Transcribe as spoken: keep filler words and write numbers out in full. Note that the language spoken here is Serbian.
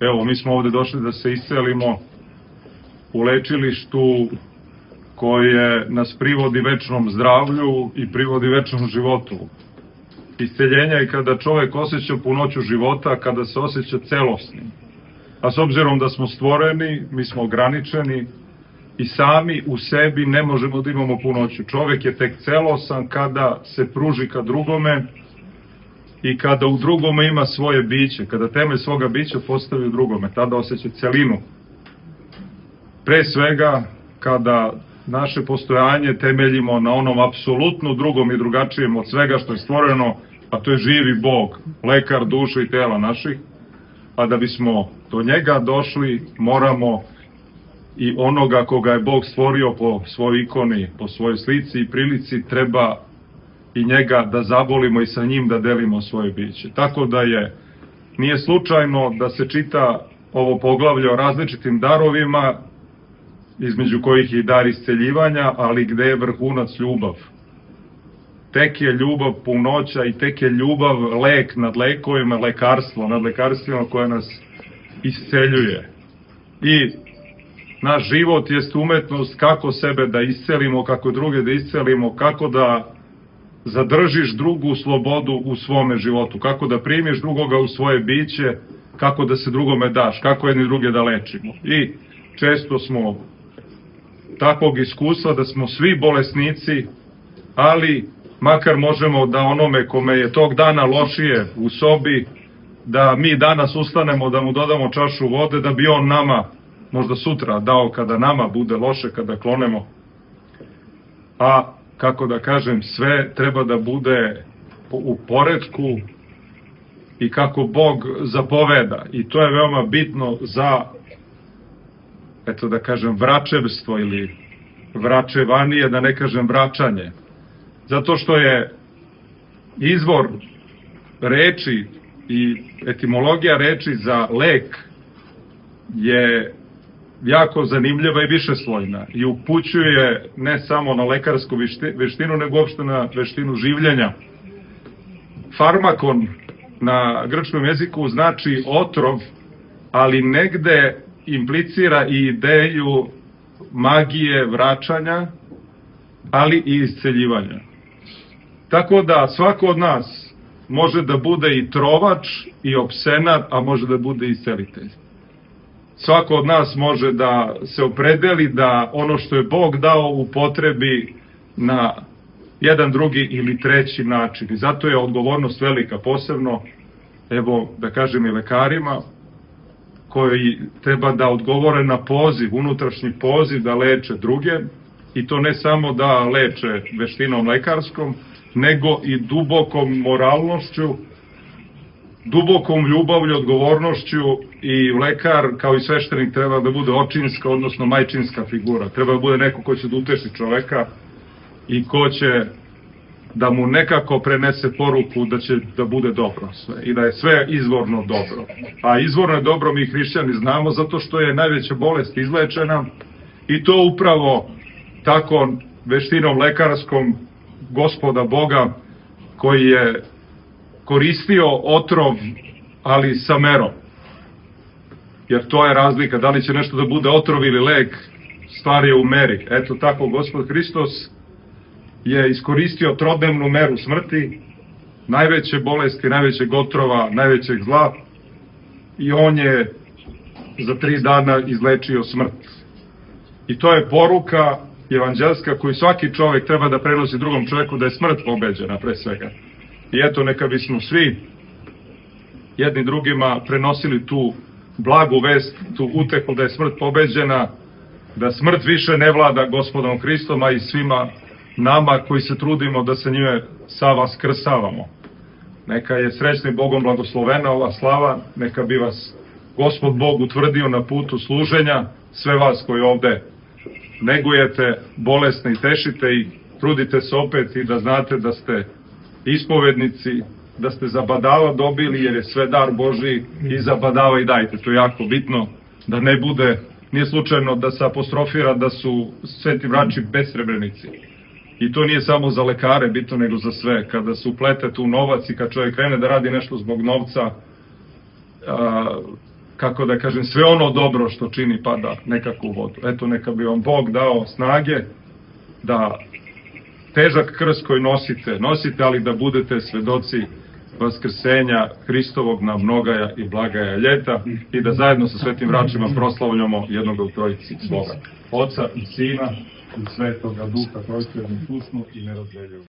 Evo, mi smo ovde došli da se iscelimo u lečilištu koje nas privodi večnom zdravlju i privodi večnom životu. Isceljenje je kada čovek osjeća punoću života, kada se osjeća celosnim. A s obzirom da smo stvoreni, mi smo ograničeni i sami u sebi ne možemo da imamo punoću. Čovek je tek celosan kada se pruži ka drugome i kada u drugome ima svoje biće, kada temelj svoga bića postavi u drugome, tada osjeća celinu. Pre svega, kada naše postojanje temeljimo na onom apsolutno drugom i drugačijem od svega što je stvoreno, a to je živi Bog, lekar duše i tela naših, a da bismo do njega došli, moramo i onoga koga je Bog stvorio po svojoj ikoni, po svojoj slici i prilici, treba i njega da zavolimo i sa njim da delimo svoje biće. Tako da je, nije slučajno da se čita ovo poglavlje o različitim darovima, između kojih je i dar isceljivanja, ali gde je vrhunac ljubav. Tek je ljubav punoća i tek je ljubav lek nad lekovima, lekarstvo nad lekarstvima koje nas isceljuje. I naš život jest umetnost kako sebe da iscelimo, kako druge da iscelimo, kako da zadržiš drugu slobodu u svome životu, kako da primiš drugoga u svoje biće, kako da se drugome daš, kako jedni druge da lečimo. I često smo takvog iskustva da smo svi bolesnici, ali makar možemo da onome kome je tog dana lošije u sobi, da mi danas ustanemo, da mu dodamo čašu vode, da bi on nama možda sutra dao kada nama bude loše, kada klonemo. A, kako da kažem, sve treba da bude u poretku i kako Bog zapoveda. I to je veoma bitno za, eto da kažem, vračevstvo ili vračevanije, da ne kažem vraćanje. Zato što je izvor reči i etimologija reči za lek je jako zanimljiva i višeslojna i upućuje ne samo na lekarsku veštinu, nego uopšte na veštinu življenja. Farmakon na grčkom jeziku znači otrov, ali negde implicira i ideju magije vraćanja, ali i isceljivanja. Tako da svako od nas može da bude i trovač i opsenar, a može da bude i iscelitelj. Svako od nas može da se opredeli da ono što je Bog dao upotrebi na jedan, drugi ili treći način. I zato je odgovornost velika, posebno, evo da kažem i lekarima, koji treba da odgovore na poziv, unutrašnji poziv da leče druge, i to ne samo da leče veštinom lekarskom, nego i dubokom moralnošću, dubokom ljubavlju, odgovornošću, i lekar kao i sveštenik treba da bude očinska, odnosno majčinska figura. Treba da bude neko ko će da uteši čoveka i ko će da mu nekako prenese poruku da će da bude dobro sve i da je sve izvorno dobro. A izvorno je dobro mi hrišćani znamo zato što je najveća bolest izlečena i to upravo tako veštinom lekarskom Gospoda Boga koji je koristio otrov, ali sa merom. Jer to je razlika, da li će nešto da bude otrov ili lek, stvar je u meri. Eto tako, Gospod Hristos je iskoristio trodnevnu meru smrti, najveće bolesti, najvećeg otrova, najvećeg zla, i on je za tri dana izlečio smrt. I to je poruka evanđelska koju svaki čovek treba da prenosi drugom čoveku, da je smrt pobeđena pre svega. I eto, neka bismo svi jedni drugima prenosili tu blagu vest, tu utehu da je smrt pobeđena, da smrt više ne vlada Gospodom Hristom, a i svima nama koji se trudimo da se njime sa vas krsavamo. Neka je srećni Bogom blagoslovena ova slava, neka bi vas Gospod Bog utvrdio na putu služenja, sve vas koji ovde negujete, bolesne i tešite i trudite se opet i da znate da ste ispovednici, da ste za badava dobili, jer je sve dar Božiji, i za badava i dajte. To je jako bitno, da ne bude, nije slučajno da se apostrofira da su sveti vrači besrebrenici. I to nije samo za lekare bitno, nego za sve. Kada se uplete tu novac i kad čovjek krene da radi nešto zbog novca, a, kako da kažem, sve ono dobro što čini pada nekako u vodu. Eto, neka bi vam Bog dao snage da težak krst koji nosite, nosite, ali da budete svedoci vaskrsenja Hristovog na mnogaja i blagaja ljeta i da zajedno sa svetim vračima proslavljamo jednoga u trojici svoga Oca i Sina i Svetoga Duha, koji ste usnu i ne razdeljuju.